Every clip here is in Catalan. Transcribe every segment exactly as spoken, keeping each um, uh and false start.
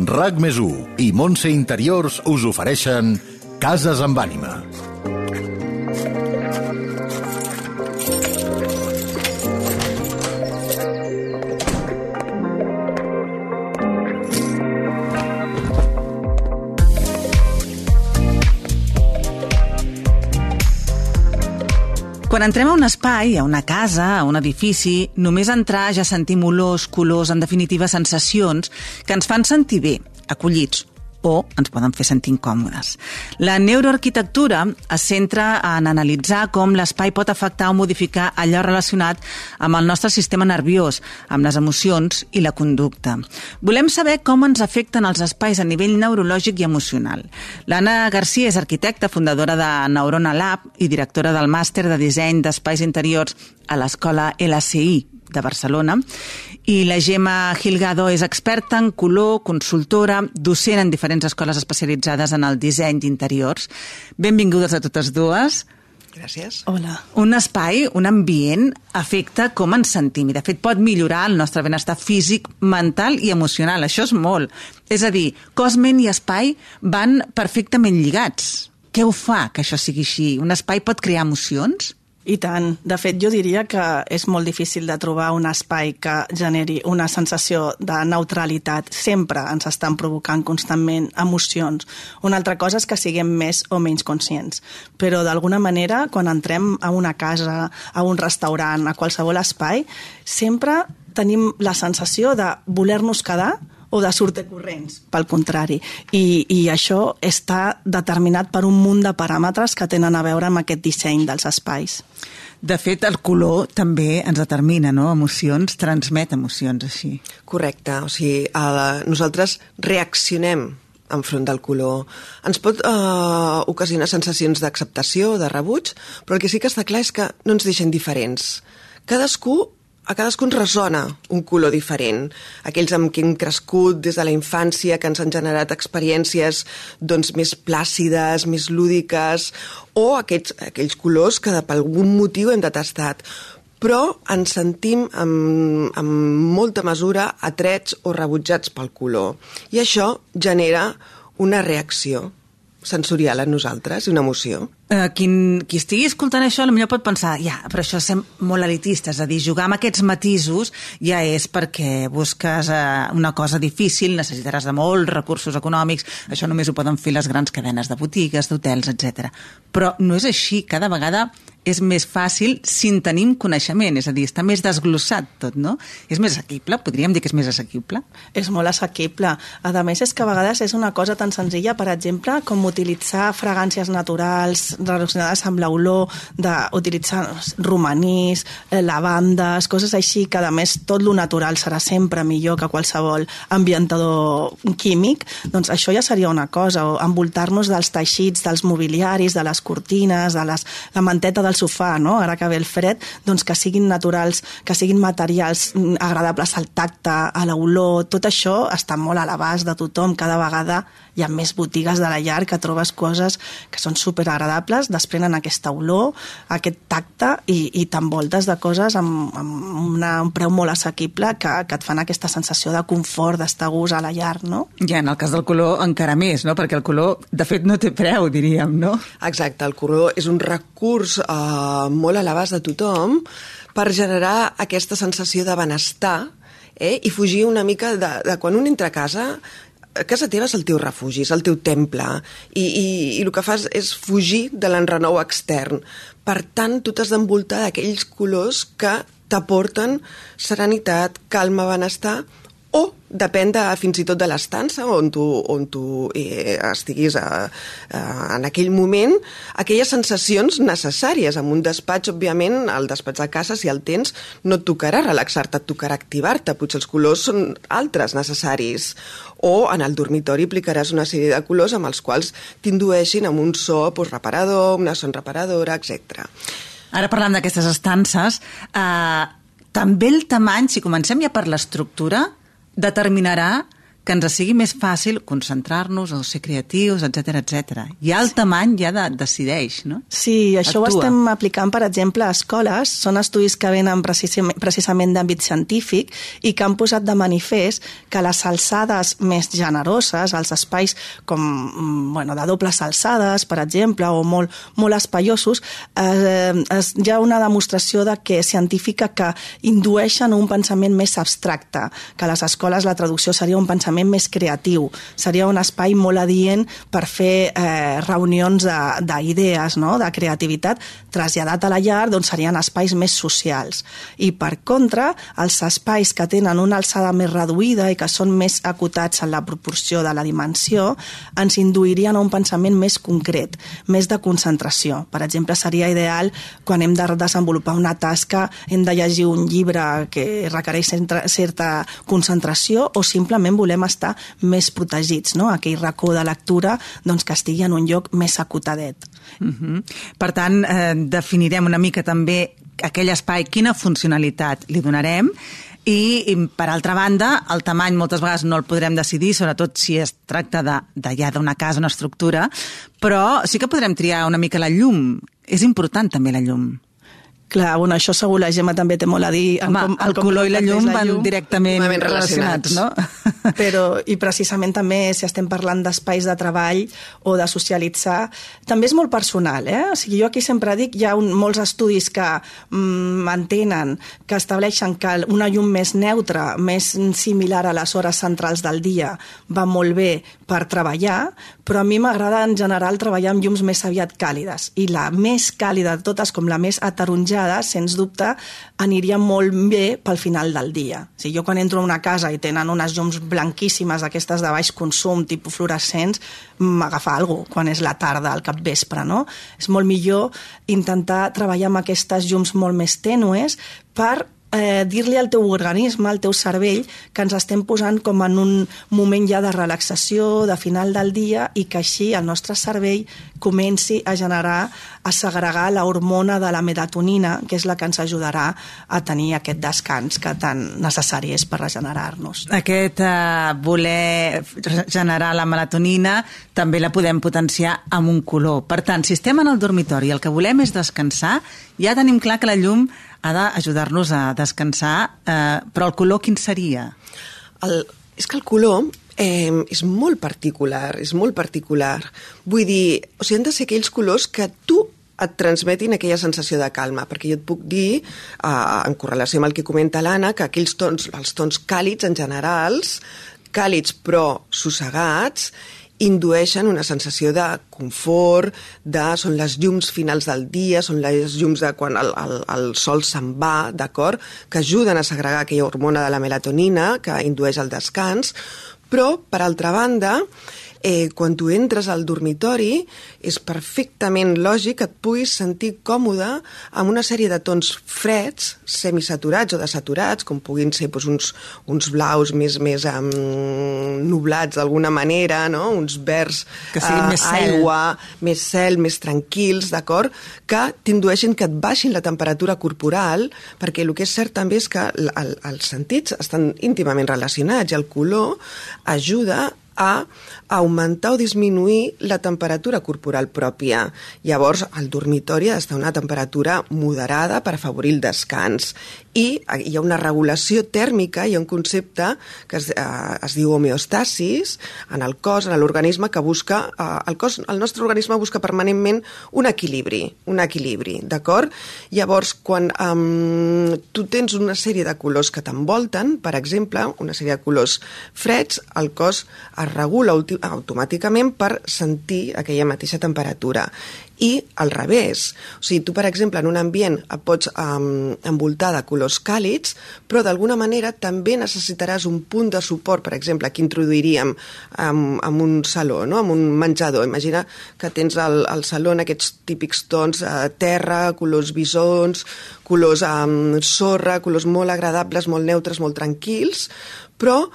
RAC més u i Montse Interiors us ofereixen Cases amb ànima. Quan entrem a un espai, a una casa, a un edifici, només entrar ja sentim olors, colors, en definitiva sensacions que ens fan sentir bé, acollits, o ens poden fer sentir incòmodes. La neuroarquitectura es centra en analitzar com l'espai pot afectar o modificar allò relacionat amb el nostre sistema nerviós, amb les emocions i la conducta. Volem saber com ens afecten els espais a nivell neurològic i emocional. L'Anna Garcia és arquitecta, fundadora de Neurona Lab i directora del màster de disseny d'espais interiors a l'Escola L C I de Barcelona, i la Gemma Gilgado és experta en color, consultora, docent en diferents escoles especialitzades en el disseny d'interiors. Benvingudes a totes dues. Gràcies. Hola. Un espai, un ambient, afecta com ens sentim i, de fet, pot millorar el nostre benestar físic, mental i emocional. Això és molt. És a dir, cos, ment i espai van perfectament lligats. Què ho fa que això sigui així? Un espai pot crear emocions? I tant. De fet, jo diria que és molt difícil de trobar un espai que generi una sensació de neutralitat. Sempre ens estan provocant constantment emocions. Una altra cosa és que siguem més o menys conscients. Però, d'alguna manera, quan entrem a una casa, a un restaurant, a qualsevol espai, sempre tenim la sensació de voler-nos quedar o de sortir corrents, pel contrari. I, I això està determinat per un munt de paràmetres que tenen a veure amb aquest disseny dels espais. De fet, el color també ens determina, no? Emocions, transmet emocions així. Correcte, o sigui, el, nosaltres reaccionem enfront del color. Ens pot eh, ocasionar sensacions d'acceptació, de rebuig, però el que sí que està clar és que no ens deixen diferents. Cadascú A cadascú ens ressona un color diferent. Aquells amb qui hem crescut des de la infància, que ens han generat experiències doncs, més plàcides, més lúdiques, o aquests, aquells colors que per algun motiu hem detestat. Però ens sentim amb, amb molta mesura atrets o rebutjats pel color. I això genera una reacció sensorial en nosaltres, una emoció. Uh, qui, qui estigui escoltant això potser pot pensar, ja, però això és molt elitista, és a dir, jugar amb aquests matisos ja és perquè busques uh, una cosa difícil, necessitaràs de molts recursos econòmics, això només ho poden fer les grans cadenes de botigues, d'hotels, etcètera. Però no és així, cada vegada és més fàcil si en tenim coneixement, és a dir, està més desglossat tot, no? És més assequible, podríem dir que és més assequible? És molt assequible. A més, és que a vegades és una cosa tan senzilla, per exemple, com utilitzar fragàncies naturals relacionades amb l'olor, d'utilitzar romanís, lavandes, coses així, que a més tot lo natural serà sempre millor que qualsevol ambientador químic, doncs això ja seria una cosa, o envoltar-nos dels teixits, dels mobiliaris, de les cortines, de les, la manteta del sofà, no? Ara que ve el fred, doncs que siguin naturals, que siguin materials agradables al tacte, a l'olor, tot això està molt a l'abast de tothom. Cada vegada hi ha més botigues de la llar que trobes coses que són superagradables, desprenen aquesta olor, aquest tacte i, i t'envoltes de coses amb, amb una, un preu molt assequible que, que et fan aquesta sensació de confort, d'estar a gust a la llar, no? I en el cas del color encara més, no? Perquè el color, de fet, no té preu, diríem, no? Exacte, el color és un recurs eh, molt a l'abast de tothom per generar aquesta sensació de benestar, eh? I fugir una mica de, de quan un entra a casa. Casa teva és el teu refugi, és el teu temple, i, i, i el que fas és fugir de l'enrenou extern. Per tant, tu t'has d'envoltar d'aquells colors que t'aporten serenitat, calma, benestar, o depèn de, fins i tot de l'estança on tu, on tu eh, estiguis a, a, en aquell moment, aquelles sensacions necessàries. En un despatx, òbviament, el despatx de casa, si el tens, no et tocarà relaxar-te, et tocarà activar-te. Potser els colors són altres necessaris. O en el dormitori aplicaràs una sèrie de colors amb els quals t'indueixin amb un so pues, reparador, una son reparadora, etcètera. Ara parlant d'aquestes estances, eh, també el tamany, si comencem ja per l'estructura, determinarà que ens sigui més fàcil concentrar-nos o ser creatius, etcètera, etcètera. Ja el tamany ja de, decideix, no? Sí, això Actua. Ho estem aplicant, per exemple, a escoles. Són estudis que venen precisament, precisament d'àmbit científic i que han posat de manifest que les alçades més generoses, els espais com, bueno, de dobles alçades, per exemple, o molt, molt espaiosos, eh, es, hi ha una demostració de que científica que indueixen un pensament més abstracte, que a les escoles la traducció seria un pensament més creatiu, seria un espai molt adient per fer eh, reunions d'idees, no? De creativitat, traslladat a la llar, doncs serien espais més socials. I per contra, els espais que tenen una alçada més reduïda i que són més acotats en la proporció de la dimensió, ens induirien a un pensament més concret, més de concentració. Per exemple, seria ideal quan hem de desenvolupar una tasca, hem de llegir un llibre que requereix certa concentració o simplement volem estar més protegits, no? Aquell racó de lectura doncs, que estigui en un lloc més acotadet. Uh-huh. Per tant, eh, definirem una mica també aquell espai, quina funcionalitat li donarem i, i per altra banda, el tamany moltes vegades no el podrem decidir, sobretot si es tracta de, de ja d'una casa, una estructura, però sí que podrem triar una mica la llum. És important també la llum. Clar, bueno, això segur la Gemma també té molt a dir. Home, com, el com color i la llum van directament relacionats, no? Però, i precisament també, si estem parlant d'espais de treball o de socialitzar, també és molt personal, eh? O sigui, jo aquí sempre dic, hi ha un, molts estudis que mm, mantenen, que estableixen que una llum més neutra, més similar a les hores centrals del dia, va molt bé per treballar, però a mi m'agrada en general treballar amb llums més aviat càlides. I la més càlida de totes, com la més ataronjada, sens dubte, aniria molt bé pel final del dia. O sigui, jo quan entro a una casa i tenen unes llums blanquíssimes, aquestes de baix consum, tipus fluorescents, m'agafa alguna cosa quan és la tarda, al capvespre, no? És molt millor intentar treballar amb aquestes llums molt més tènues per Eh, dir-li al teu organisme, al teu cervell, que ens estem posant com en un moment ja de relaxació, de final del dia, i que així el nostre cervell comenci a generar, a segregar la hormona de la melatonina, que és la que ens ajudarà a tenir aquest descans que tan necessari és per regenerar-nos. Aquest eh, voler generar la melatonina també la podem potenciar amb un color. Per tant, si estem en el dormitori i el que volem és descansar, ja tenim clar que la llum ha d'ajudar-nos a descansar, eh, però el color quin seria? El, és que el color eh, és molt particular, és molt particular. Vull dir, o sigui, han de ser aquells colors que tu et transmetin aquella sensació de calma, perquè jo et puc dir, eh, en correlació amb el que comenta l'Anna, que aquells tons, els tons càlids en generals, càlids però sossegats, indueixen una sensació de confort, de, són les llums finals del dia, són les llums de quan el, el, el sol se'n va, d'acord? Que ajuden a segregar aquella hormona de la melatonina, que indueix el descans, però, per altra banda, eh, quan tu entres al dormitori és perfectament lògic que et puguis sentir còmode amb una sèrie de tons freds, semisaturats o desaturats, com puguin ser doncs, uns, uns blaus més, més um, nublats d'alguna manera, no? Uns verds, que siguin uh, més cel. Aigua, més cel, més tranquils, d'acord? Que t'indueixin que et baixin la temperatura corporal, perquè el que és cert també és que el, el, els sentits estan íntimament relacionats i el color ajuda a augmentar o disminuir la temperatura corporal pròpia. Llavors, el dormitori ha d'estar a una temperatura moderada per afavorir el descans. I hi ha una regulació tèrmica, hi ha un concepte que es, eh, es diu homeostasis en el cos, en l'organisme, que busca, eh, el cos, el nostre organisme busca permanentment un equilibri, un equilibri, d'acord? Llavors, quan eh, tu tens una sèrie de colors que t'envolten, per exemple, una sèrie de colors freds, el cos es regula automàticament per sentir aquella mateixa temperatura. I al revés, o sigui, tu, per exemple, en un ambient et pots um, envoltar de colors càlids, però d'alguna manera també necessitaràs un punt de suport, per exemple, aquí introduiríem um, en un saló, no? En un menjador. Imagina que tens al, al saló aquests típics tons uh, terra, colors bisons, colors um, sorra, colors molt agradables, molt neutres, molt tranquils, però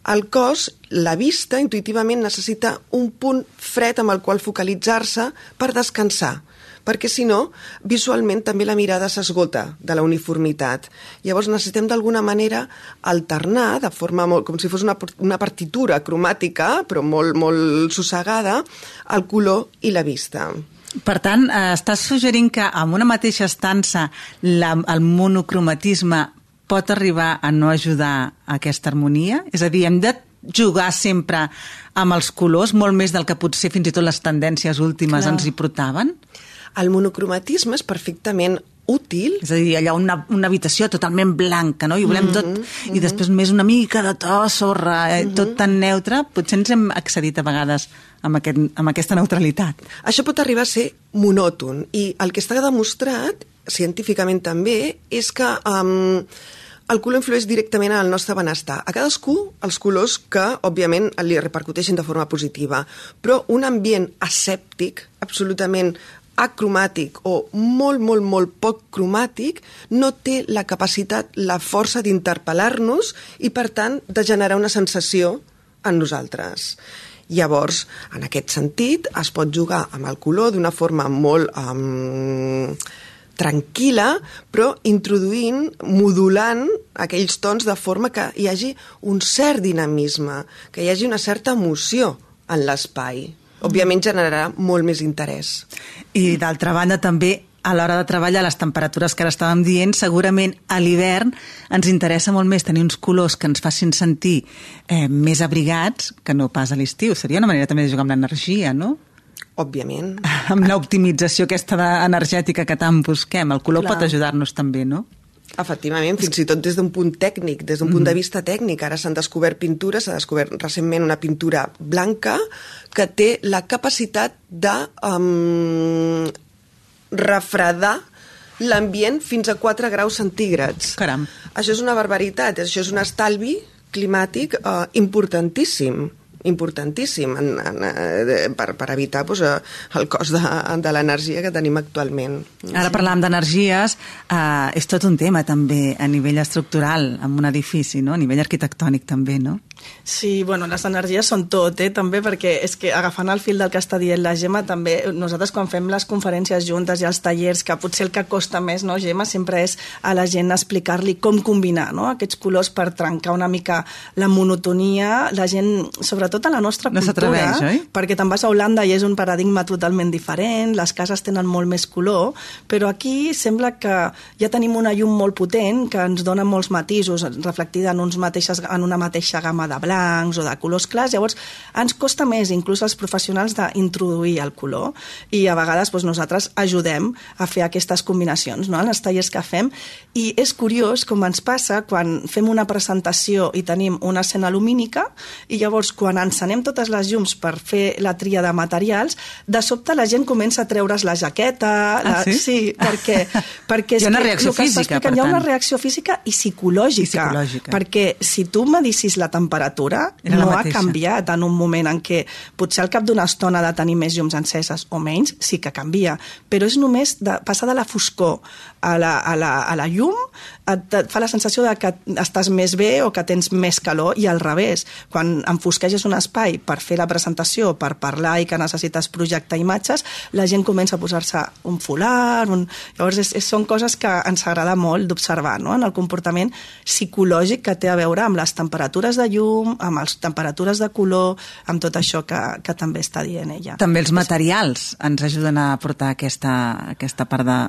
el cos, la vista, intuïtivament necessita un punt fred amb el qual focalitzar-se per descansar, perquè si no, visualment també la mirada s'esgota de la uniformitat. Llavors necessitem d'alguna manera alternar, de forma molt, com si fos una, una partitura cromàtica, però molt, molt sossegada, el color i la vista. Per tant, eh, estàs suggerint que amb una mateixa estança la, el monocromatisme pot arribar a no ajudar a aquesta harmonia? És a dir, hem de jugar sempre amb els colors, molt més del que potser fins i tot les tendències últimes Clar. ens hi portaven? El monocromatisme és perfectament útil. És a dir, allà una, una habitació totalment blanca, no? I volem tot, mm-hmm. i després més una mica de to, sorra, eh, mm-hmm. tot tan neutre. Potser ens hem accedit a vegades amb, aquest, amb aquesta neutralitat. Això pot arribar a ser monòton, i el que està demostrat, científicament també, és que um, el color influeix directament en el nostre benestar. A cadascú, els colors que, òbviament, li repercuteixen de forma positiva, però un ambient asèptic, absolutament acromàtic o molt, molt, molt poc cromàtic, no té la capacitat, la força d'interpel·lar-nos i, per tant, de generar una sensació en nosaltres. Llavors, en aquest sentit, es pot jugar amb el color d'una forma molt um, tranquil·la, però introduint, modulant aquells tons de forma que hi hagi un cert dinamisme, que hi hagi una certa emoció en l'espai. Òbviament generarà molt més interès. I d'altra banda també, a l'hora de treballar les temperatures que ara estàvem dient, segurament a l'hivern ens interessa molt més tenir uns colors que ens facin sentir eh, més abrigats que no pas a l'estiu. Seria una manera també de jugar amb l'energia, no? Òbviament. Amb l'optimització aquesta energètica que tant busquem. El color Clar. pot ajudar-nos també, no? Efectivament, fins i tot des d'un punt tècnic, des d'un mm. punt de vista tècnic. Ara s'han descobert pintures, s'ha descobert recentment una pintura blanca que té la capacitat de um, refredar l'ambient fins a quatre graus centígrads. Caram. Això és una barbaritat, això és un estalvi climàtic uh, importantíssim. importantíssim en, en, per, per evitar pues, el cost de, de l'energia que tenim actualment. Ara parlàvem d'energies, eh, és tot un tema també a nivell estructural, en un edifici, no? A nivell arquitectònic també, no? Sí, bueno, les energies són tot, eh, també, perquè és que agafant el fil del que està dient la Gemma, també nosaltres quan fem les conferències juntes i els tallers, que potser el que costa més, no, Gemma, sempre és a la gent explicar-li com combinar, no?, aquests colors per trencar una mica la monotonia. La gent, sobretot a la nostra no cultura, oi? Perquè te'n vas a Holanda i és un paradigma totalment diferent, les cases tenen molt més color, però aquí sembla que ja tenim una llum molt potent que ens dona molts matisos, reflectida en, uns mateixes, en una mateixa gamma de blancs o de colors clars. Llavors ens costa més, inclús als professionals, d'introduir el color, i a vegades doncs, nosaltres ajudem a fer aquestes combinacions, no?, en els tallers que fem. I és curiós com ens passa quan fem una presentació i tenim una escena lumínica, i llavors quan encenem totes les llums per fer la tria de materials, de sobte la gent comença a treure's la jaqueta. Ah, la... sí? Sí, perquè, perquè és hi ha una que, reacció física, per hi ha una tant. reacció física i psicològica, I psicològica. perquè si tu medissis la temperatura no ha canviat en un moment en què potser al cap d'una estona de tenir més llums enceses o menys, sí que canvia, però és només de passar de la foscor a la, a la, a la llum, et, et fa la sensació de que estàs més bé o que tens més calor, i al revés, quan enfosqueges un espai per fer la presentació, per parlar i que necessites projectar imatges, la gent comença a posar-se un folar, un... llavors és, és, són coses que ens agrada molt d'observar, no?, en el comportament psicològic que té a veure amb les temperatures de llum, amb les temperatures de color, amb tot això que, que també està dient ella. També els materials ens ajuden a portar aquesta, aquesta part de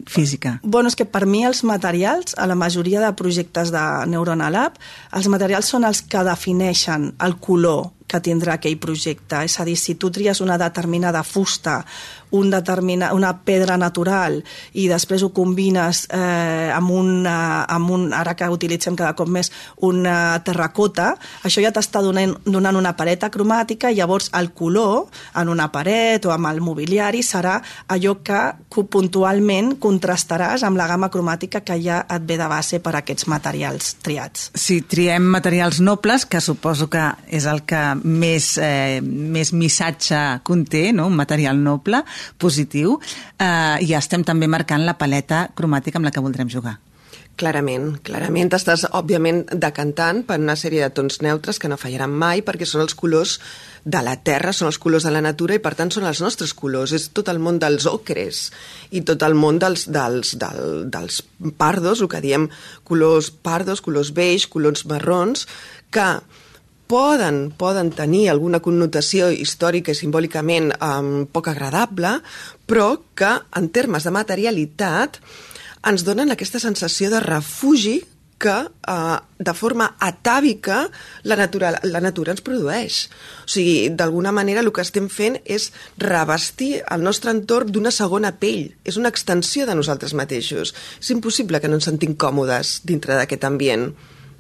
física. Bueno, és que per mi els materials, a la majoria de projectes de Neurona Lab, els materials són els que defineixen el color que tindrà aquell projecte. És a dir, si tu tries una determinada fusta, un determina, una pedra natural, i després ho combines eh, amb, una, amb un, ara que utilitzem cada cop més, una terracota, això ja t'està donant, donant una paleta cromàtica, i llavors el color en una paret o amb el mobiliari serà allò que puntualment contrastaràs amb la gamma cromàtica que ja et ve de base per aquests materials triats. Si triem materials nobles, que suposo que és el que més, eh, més missatge conté, no?, un material noble, positiu, eh, ja estem també marcant la paleta cromàtica amb la que voldrem jugar. Clarament, clarament estàs, òbviament, decantant per una sèrie de tons neutres que no fallaran mai, perquè són els colors de la terra, són els colors de la natura i, per tant, són els nostres colors. És tot el món dels ocres i tot el món dels, dels, del, dels pardos, el que diem colors pardos, colors beix, colors marrons, que poden, poden tenir alguna connotació històrica i simbòlicament um, poc agradable, però que, en termes de materialitat, ens donen aquesta sensació de refugi que eh, de forma atàvica la natura, la natura ens produeix. O sigui, d'alguna manera el que estem fent és revestir el nostre entorn d'una segona pell. És una extensió de nosaltres mateixos. És impossible que no ens sentim còmodes dintre d'aquest ambient,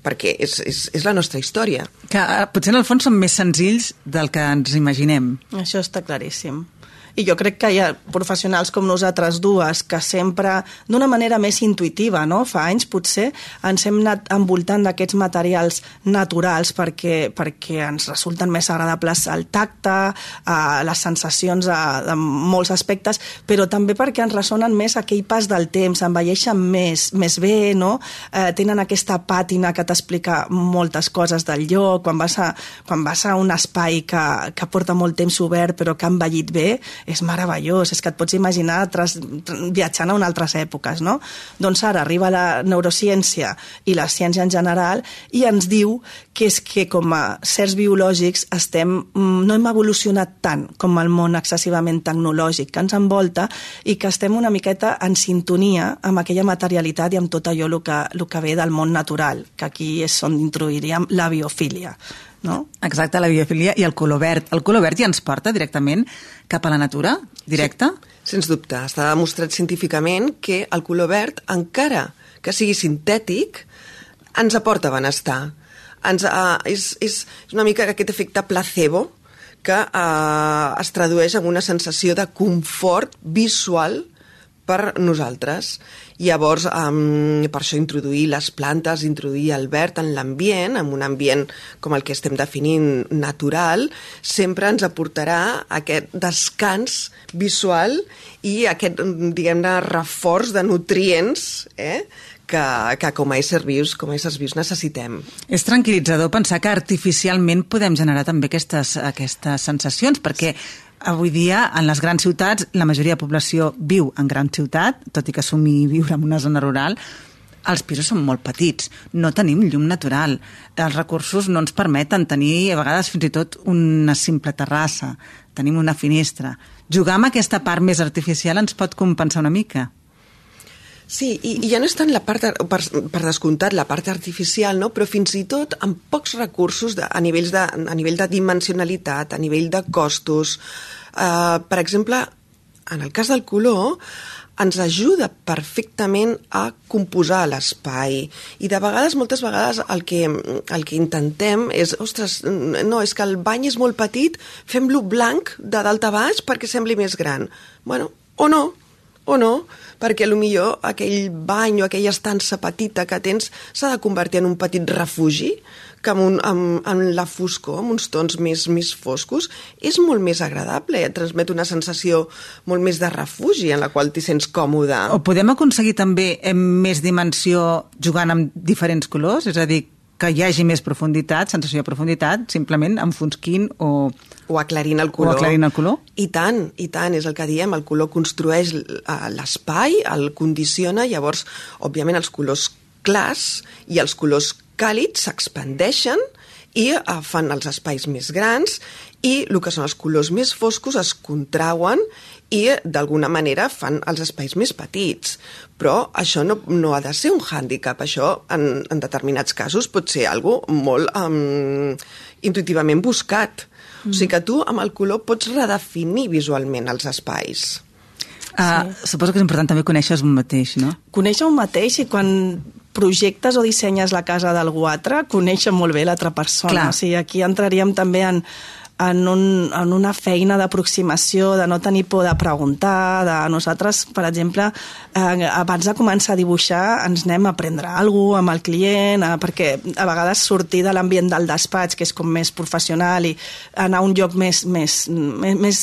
perquè és, és, és la nostra història. Que eh, potser en el fons són més senzills del que ens imaginem. Això està claríssim. I jo crec que hi ha professionals com nosaltres dues que sempre, d'una manera més intuïtiva, no? Fa anys potser ens hem anat envoltant d'aquests materials naturals perquè, perquè ens resulten més agradables al tacte, a les sensacions a, de molts aspectes, però també perquè ens ressonen més aquell pas del temps, envelleixen més, més bé, no? Eh, tenen aquesta pàtina que t'explica moltes coses del lloc, quan vas a, quan vas a un espai que, que porta molt temps obert però que ha envellit bé, és meravellós, és que et pots imaginar tras, viatjant a unes altres èpoques, no? Doncs ara arriba la neurociència i la ciència en general i ens diu que és que com a certs biològics estem, no hem evolucionat tant com el món excessivament tecnològic que ens envolta i que estem una miqueta en sintonia amb aquella materialitat i amb tot allò el que, el que ve del món natural, que aquí és on introduiríem la biofília. No? Exacte, la biofilia i el color verd. El color verd ja ens porta directament cap a la natura, directe? Sí, sens dubte. Està demostrat científicament que el color verd, encara que sigui sintètic, ens aporta benestar. Ens, uh, és, és una mica aquest efecte placebo que uh, es tradueix en una sensació de confort visual per nosaltres. Llavors, um, per això introduir les plantes, introduir el verd en l'ambient, en un ambient com el que estem definint natural, sempre ens aportarà aquest descans visual i aquest, diguem-ne, reforç de nutrients, eh? que, que com a éssers vius, com a éssers vius necessitem. És tranquil·litzador pensar que artificialment podem generar també aquestes, aquestes sensacions, perquè avui dia, en les grans ciutats, la majoria de població viu en gran ciutat, tot i que assumir viure en una zona rural, els pisos són molt petits, no tenim llum natural, els recursos no ens permeten tenir, a vegades, fins i tot una simple terrassa, tenim una finestra. Jugar amb aquesta part més artificial ens pot compensar una mica. Sí, i, i ja no és tant la part, per, per descomptat, la part artificial, no? Però fins i tot amb pocs recursos de, a, nivells de, a nivell de dimensionalitat, a nivell de costos. Uh, per exemple, en el cas del color, ens ajuda perfectament a composar l'espai. I de vegades, moltes vegades, el que, el que intentem és, ostres, no, és que el bany és molt petit, fem-lo blanc de dalt a baix perquè sembli més gran. Bueno, o no, o no, perquè potser aquell bany o aquella estança petita que tens s'ha de convertir en un petit refugi que amb, un, amb, amb la foscor, amb uns tons més, més foscos, és molt més agradable, et transmet una sensació molt més de refugi en la qual t'hi sents còmode. O podem aconseguir també més dimensió jugant amb diferents colors? És a dir, que hi hagi més profunditat, sensació de profunditat, simplement enfosquint o... O aclarint el color. O aclarint el color. I tant, i tant, és el que diem, el color construeix l'espai, el condiciona, llavors, òbviament, els colors clars i els colors càlids s'expandeixen i fan els espais més grans i el que són els colors més foscos es contrauen i d'alguna manera fan els espais més petits. Però això no, no ha de ser un hàndicap, això en, en determinats casos pot ser algo molt um, intuïtivament buscat. Mm. O sigui que tu amb el color pots redefinir visualment els espais. Uh, sí. Suposo que és important també conèixer un mateix, no? Conèixer un mateix i quan projectes o dissenyes la casa d'algú altre, conèixer molt bé l'altra persona. Clar. O sigui, aquí entraríem també en, en, un, en una feina d'aproximació, de no tenir por de preguntar, de nosaltres, per exemple, eh, abans de començar a dibuixar ens anem a aprendre alguna cosa amb el client, eh, perquè a vegades sortir de l'ambient del despatx, que és com més professional, i anar a un lloc més, més, més, més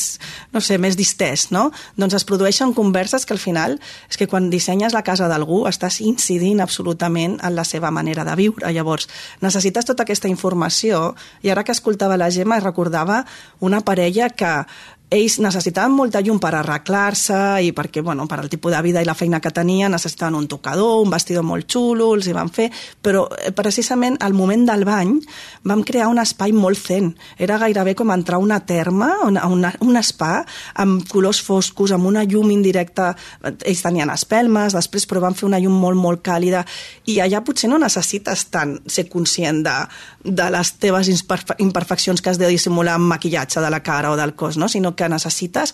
no sé, més distès, no? Doncs es produeixen converses que al final és que quan dissenyes la casa d'algú estàs incidint absolutament en la seva manera de viure. Llavors, necessites tota aquesta informació, i ara que escoltava la Gemma recordava una parella que ells necessitaven molta llum per arreglar-se i perquè, bueno, per al tipus de vida i la feina que tenien, necessitaven un tocador, un vestidor molt xulo, els hi van fer, però precisament al moment del bany vam crear un espai molt zen. Era gairebé com entrar a una terma, a una, un spa, amb colors foscos, amb una llum indirecta. Ells tenien espelmes, després, però van fer una llum molt, molt càlida, i allà potser no necessites tant ser conscient de, de les teves imperfeccions que has de dissimular amb maquillatge de la cara o del cos, no? Sinó que necessites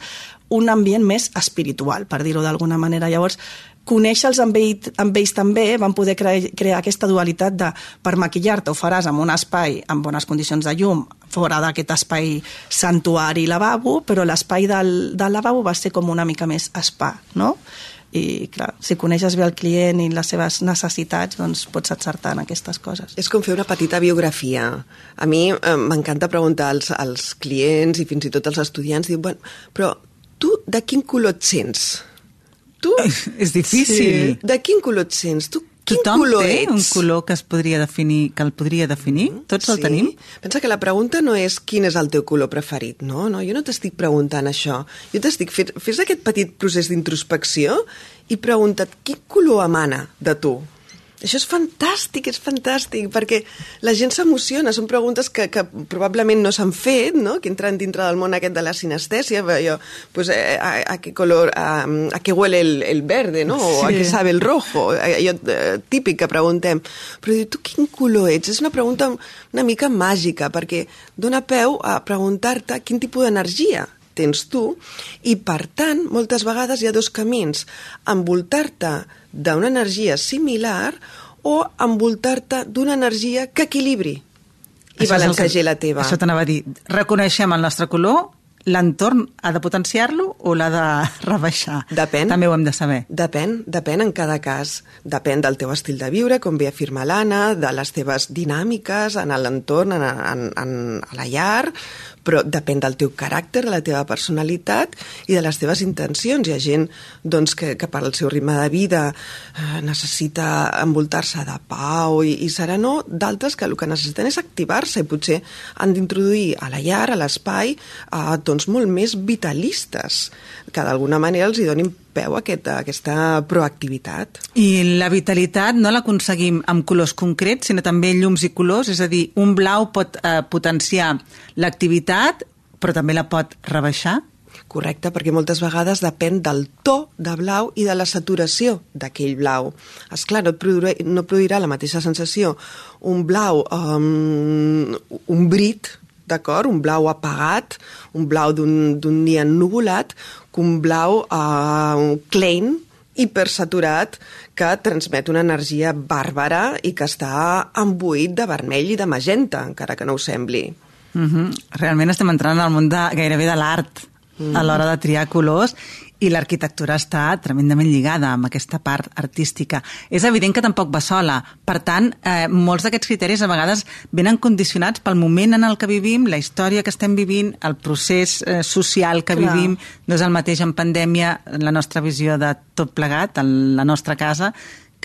un ambient més espiritual, per dir-ho d'alguna manera. Llavors, conèixer-los amb, ell, amb ells també van poder cre crear aquesta dualitat de per maquillar-te ho faràs en un espai amb bones condicions de llum, fora d'aquest espai santuari lavabo, però l'espai del, del lavabo va ser com una mica més spa, no? I clar, si coneixes bé el client i les seves necessitats, doncs pots encertar en aquestes coses. És com fer una petita biografia. A mi eh, m'encanta preguntar als, als clients i fins i tot als estudiants, diu, bueno, però tu de quin color et sents? Tu? És difícil. Sí. De quin color et sents? Tu quin Tothom color té ets? un color que es podria definir, que el podria definir? Tots el Sí. tenim? Pensa que la pregunta no és quin és el teu color preferit, no? no jo no t'estic preguntant això. Jo t'estic fent... Fes aquest petit procés d'introspecció i pregunta't quin color emana de tu. Això és fantàstic, és fantàstic, perquè la gent s'emociona, són preguntes que, que probablement no s'han fet, no? Que entren dintre del món aquest de la sinestèsia, jo, pues, eh, a, a què color, a, a què huele el, el verde, no? O a Sí. què sabe el rojo, allò eh, típic que preguntem. Però diu, tu quin color ets? És una pregunta una mica màgica, perquè dona peu a preguntar-te quin tipus d'energia tens tu, i per tant, moltes vegades hi ha dos camins, envoltar-te d'una energia similar o envoltar-te d'una energia que equilibri i balancegi la teva. Això t'anava a dir. Reconeixem el nostre color, l'entorn ha de potenciar-lo o l'ha de rebaixar? Depèn. També ho hem de saber. Depèn, depèn en cada cas. Depèn del teu estil de viure, com bé afirma l'Anna, de les teves dinàmiques en l'entorn, en, en, en, a la llar, però depèn del teu caràcter, de la teva personalitat i de les teves intencions. Hi ha gent doncs, que, que per al seu ritme de vida eh, necessita envoltar-se de pau i, i serenor, d'altres que el que necessiten és activar-se i potser han d'introduir a la llar, a l'espai, eh, tons molt més vitalistes, que d'alguna manera els hi donin peu a aquesta, aquesta proactivitat. I la vitalitat no l'aconseguim amb colors concrets, sinó també llums i colors, és a dir, un blau pot eh, potenciar l'activitat, però també la pot rebaixar? Correcte, perquè moltes vegades depèn del to de blau i de la saturació d'aquell blau. Esclar, no et produirà, no produirà la mateixa sensació un blau, um, un brit, d'acord? Un blau apagat, un blau d'un dia ennuvolat, que un blau uh, Klein, hipersaturat, que transmet una energia bàrbara i que està embuït de vermell i de magenta, encara que no ho sembli. Uh-huh. Realment estem entrant al món de, gairebé de l'art uh-huh. a l'hora de triar colors, i l'arquitectura està tremendament lligada amb aquesta part artística. És evident que tampoc va sola. Per tant, eh, molts d'aquests criteris a vegades venen condicionats pel moment en el que vivim, la història que estem vivint, el procés eh, social que Clar. vivim. No és el mateix en pandèmia, la nostra visió de tot plegat, la nostra casa,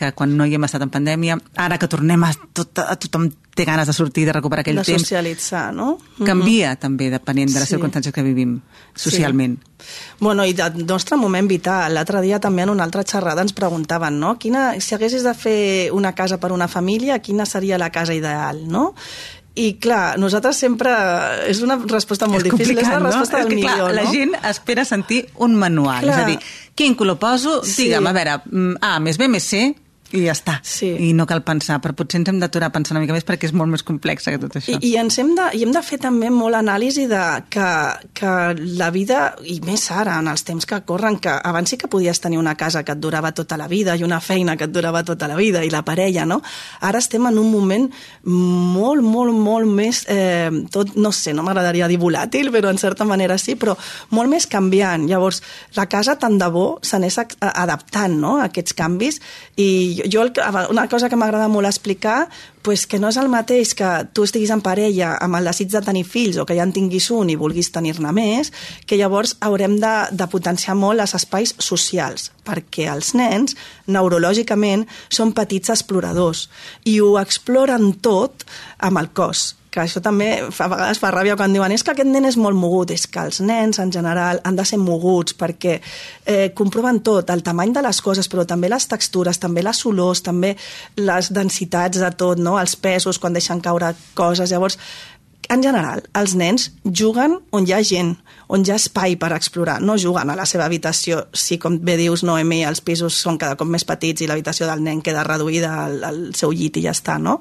que quan no hi hem estat en pandèmia. Ara que tornem a, tot, a tothom té ganes de sortir, de recuperar aquell de temps. De socialitzar, no? Canvia, mm-hmm. també, depenent de les sí. circumstàncies que vivim socialment. Sí. Bueno, i del nostre moment vital. L'altre dia també en una altra xerrada ens preguntaven, no? Quina, si haguessis de fer una casa per una família, quina seria la casa ideal, no? I clar, nosaltres sempre... És una resposta molt és difícil, és la resposta no? del és que, milió, clar, no? La gent espera sentir un manual, clar. És a dir, quin color poso? Sí. Digue'm, a veure, A més B més C, i ja està. Sí. I no cal pensar, però potser ens hem d'aturar a pensar una mica més perquè és molt més complex que tot això. I, i ens hem de, i hem de fer també molt anàlisi de que, que la vida, i més ara, en els temps que corren, que abans sí que podies tenir una casa que et durava tota la vida i una feina que et durava tota la vida i la parella, no? Ara estem en un moment molt, molt, molt més, eh, tot, no sé, no m'agradaria dir volàtil, però en certa manera sí, però molt més canviant. Llavors, la casa tant de bo s'anés adaptant, no?, a aquests canvis. I jo, una cosa que m'agrada molt explicar, pues que no és el mateix que tu estiguis en parella amb el desig de tenir fills o que ja en tinguis un i vulguis tenir-ne més, que llavors haurem de, de potenciar molt els espais socials, perquè els nens, neurològicament, són petits exploradors i ho exploren tot amb el cos, que això també fa, a vegades fa ràbia quan diuen és que aquest nen és molt mogut. És que els nens en general han de ser moguts perquè eh, comproven tot, el tamany de les coses, però també les textures, també les olors, també les densitats de tot, no? Els pesos quan deixen caure coses. Llavors, en general, els nens juguen on hi ha gent, on hi ha espai per explorar, no juguen a la seva habitació. Si, com bé dius, Noemi, els pisos són cada cop més petits i l'habitació del nen queda reduïda al, al seu llit i ja està, no?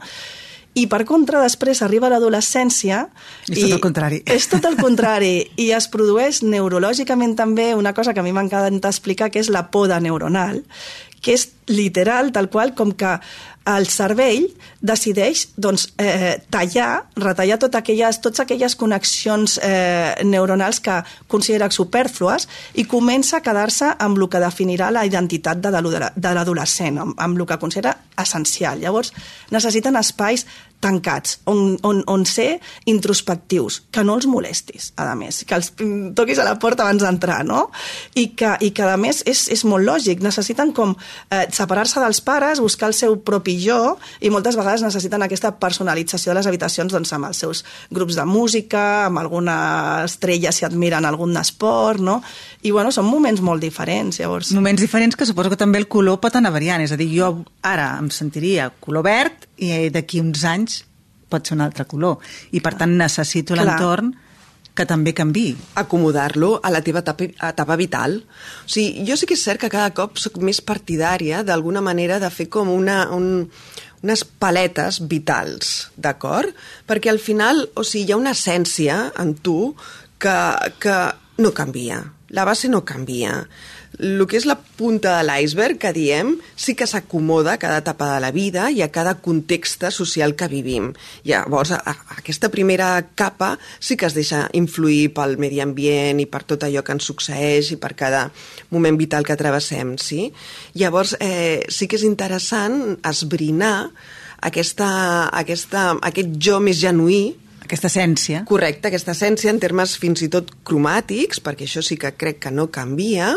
I per contra, després arriba l'adolescència és tot el contrari. És tot el contrari i es produeix neurològicament també una cosa que a mi m'encanta explicar, que és la poda neuronal, que és literal, tal qual, com que el cervell decideix doncs, eh, tallar, retallar tot aquelles, totes aquelles connexions eh, neuronals que considera supèrflues i comença a quedar-se amb el que definirà la identitat de l'adolescent, amb, amb el que considera essencial. Llavors, necessiten espais tancats, on, on, on ser introspectius, que no els molestis, a més, que els toquis a la porta abans d'entrar, no? I que, i que a més, és, és molt lògic, necessiten com eh, separar-se dels pares, buscar el seu propi jo, i moltes vegades necessiten aquesta personalització de les habitacions doncs, amb els seus grups de música, amb alguna estrella si admiren algun esport, no? I bueno, són moments molt diferents, llavors. Moments diferents que suposo que també el color pot anar variant, és a dir, jo ara em sentiria color verd i d'aquí uns anys pot ser un altre color, i per tant necessito l'entorn que també canviï. Acomodar-lo a la teva etapa, etapa vital. O sigui, jo sí que és cert que cada cop soc més partidària d'alguna manera de fer com una, un, unes paletes vitals, d'acord? Perquè al final, o sigui, hi ha una essència en tu que, que no canvia. La base no canvia. El que és la punta de l'iceberg, que diem, sí que s'acomoda a cada etapa de la vida i a cada context social que vivim. Llavors, a, a aquesta primera capa sí que es deixa influir pel medi ambient i per tot allò que ens succeeix i per cada moment vital que travessem, sí? Llavors, eh, sí que és interessant esbrinar aquesta, aquesta, aquest jo més genuí, aquesta essència. Correcte, aquesta essència en termes fins i tot cromàtics, perquè això sí que crec que no canvia,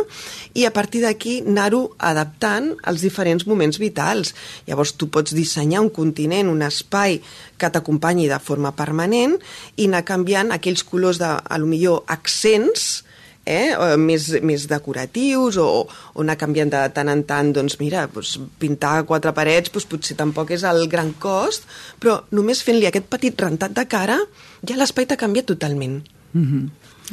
i a partir d'aquí anar-ho adaptant als diferents moments vitals. Llavors tu pots dissenyar un continent, un espai que t'acompanyi de forma permanent i anar canviant aquells colors de, a lo millor, accents, Eh, més, més decoratius o, o anar canviant de tant en tant, doncs mira, doncs, pintar quatre parets doncs, potser tampoc és el gran cost, però només fent-li aquest petit rentat de cara ja l'espai t'ha canviat totalment. Mm-hmm.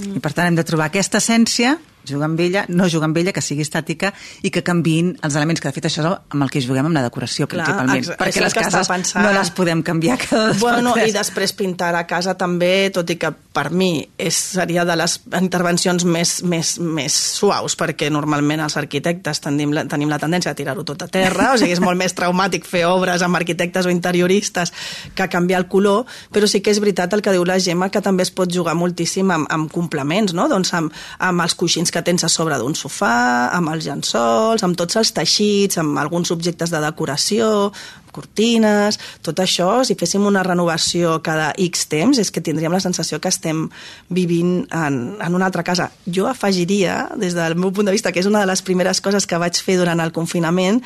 Mm. I per tant hem de trobar aquesta essència, jugar amb ella, no jugar amb ella, que sigui estàtica i que canviïn els elements, que de fet això és amb el que juguem amb la decoració. Clar, principalment, ex- perquè les cases pensant... no les podem canviar cada dos bueno, per tres. I després pintar a casa també, tot i que per mi és, seria de les intervencions més, més, més suaus, perquè normalment els arquitectes tenim la, tenim la tendència a tirar-ho tot a terra, o sigui, és molt més traumàtic fer obres amb arquitectes o interioristes que canviar el color, però sí que és veritat el que diu la Gemma, que també es pot jugar moltíssim amb, amb complements, no? Doncs amb, amb els coixins que tens a sobre d'un sofà, amb els llençols, amb tots els teixits, amb alguns objectes de decoració, cortines, tot això, si féssim una renovació cada X temps, és que tindríem la sensació que estem vivint en, en una altra casa. Jo afegiria, des del meu punt de vista, que és una de les primeres coses que vaig fer durant el confinament,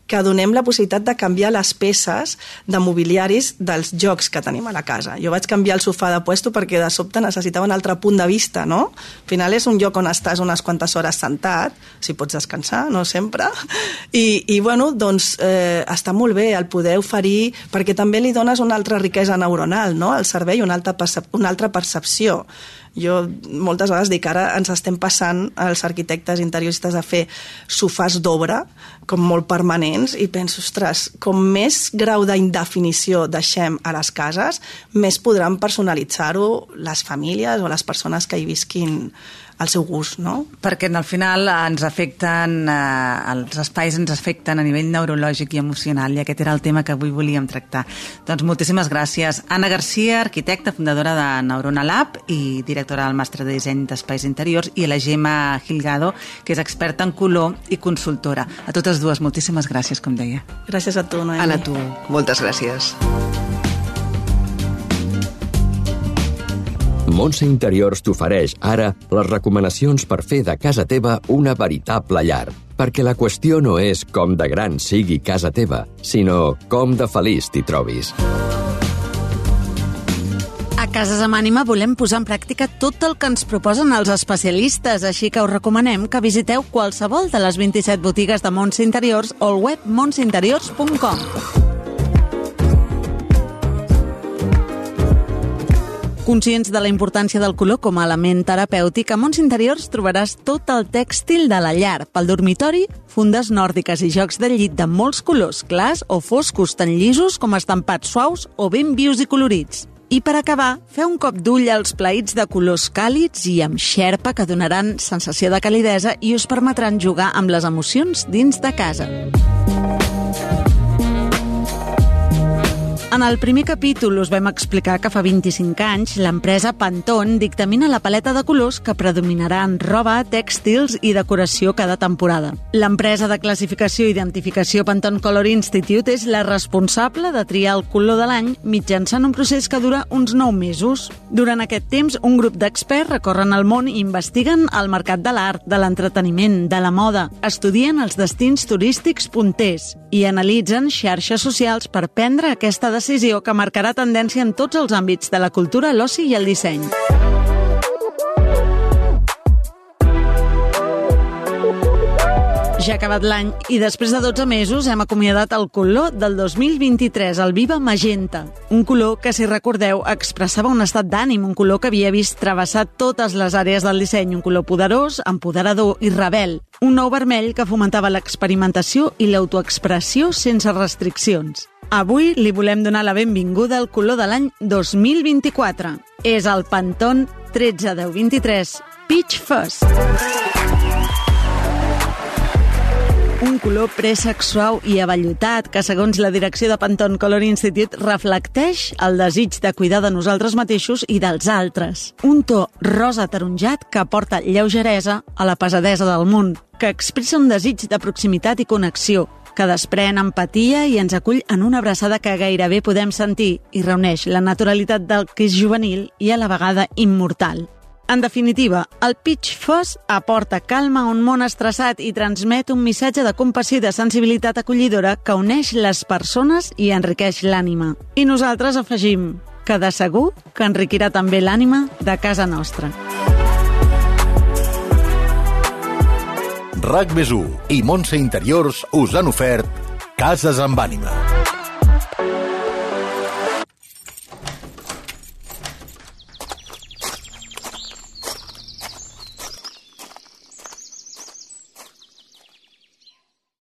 que donem la possibilitat de canviar les peces de mobiliaris dels jocs que tenim a la casa. Jo vaig canviar el sofà de puesto perquè de sobte necessitava un altre punt de vista, no? Al final és un lloc on estàs unes quantes hores sentat, si pots descansar, no sempre, i, i bueno, doncs eh, està molt bé el poder oferir, perquè també li dones una altra riquesa neuronal, no? Al cervell, una altra, percep- una altra percepció. Jo moltes vegades dic, ara ens estem passant als arquitectes interioristes a fer sofàs d'obra, com molt permanents, i penso, ostres, com més grau d'indefinició deixem a les cases, més podran personalitzar-ho les famílies o les persones que hi visquin al seu gust, no? Perquè al final ens afecten, eh, els espais ens afecten a nivell neurològic i emocional, i aquest era el tema que avui volíem tractar. Doncs moltíssimes gràcies. Anna Garcia, arquitecta, fundadora de Neurona Lab i directora del màster de disseny d'espais interiors, i la Gemma Gilgado, que és experta en color i consultora. A totes dues, moltíssimes gràcies, com deia. Gràcies a tu, Noemi. Anna, tu. Moltes gràcies. Montse Interiors t'ofereix ara les recomanacions per fer de casa teva una veritable llar. Perquè la qüestió no és com de gran sigui casa teva, sinó com de feliç t'hi trobis. A Cases amb Ànima volem posar en pràctica tot el que ens proposen els especialistes, així que us recomanem que visiteu qualsevol de les vint-i-set botigues de Montse Interiors o el web montse interiors punt com. Conscients de la importància del color com a element terapèutic, a Montse Interiors trobaràs tot el tèxtil de la llar, pel dormitori, fundes nòrdiques i jocs de llit de molts colors, clars o foscos, tant llisos com estampats suaus o ben vius i colorits. I per acabar, feu un cop d'ull als plaïts de colors càlids i amb xerpa que donaran sensació de calidesa i us permetran jugar amb les emocions dins de casa. En el primer capítol us vam explicar que fa vint-i-cinc anys l'empresa Pantone dictamina la paleta de colors que predominarà en roba, tèxtils i decoració cada temporada. L'empresa de classificació i identificació Pantone Color Institute és la responsable de triar el color de l'any mitjançant un procés que dura uns nou mesos. Durant aquest temps, un grup d'experts recorren el món i investiguen el mercat de l'art, de l'entreteniment, de la moda, estudien els destins turístics punters i analitzen xarxes socials per prendre aquesta decisió que marcarà tendència en tots els àmbits de la cultura, l'oci i el disseny. Ja ha acabat l'any i després de dotze mesos hem acomiadat el color del dos mil vint-i-tres, el Viva Magenta. Un color que, si recordeu, expressava un estat d'ànim, un color que havia vist travessar totes les àrees del disseny, un color poderós, empoderador i rebel. Un nou vermell que fomentava l'experimentació i l'autoexpressió sense restriccions. Avui li volem donar la benvinguda al color de l'any dos mil vint-i-quatre. És el Pantone tretze deu vint-i-tres Peach Fuzz. Un color préssec suau i avellutat que, segons la direcció de Pantone Color Institute, reflecteix el desig de cuidar de nosaltres mateixos i dels altres. Un to rosa ataronjat que aporta lleugeresa a la pesadesa del món, que expressa un desig de proximitat i connexió, que desprèn empatia i ens acull en una abraçada que gairebé podem sentir i reuneix la naturalitat del que és juvenil i a la vegada immortal. En definitiva, el Peach Fuzz aporta calma a un món estressat i transmet un missatge de compassió i de sensibilitat acollidora que uneix les persones i enriqueix l'ànima. I nosaltres afegim que de segur que enriquirà també l'ànima de casa nostra. RAC més u i Montse Interiors us han ofert Cases amb Ànima.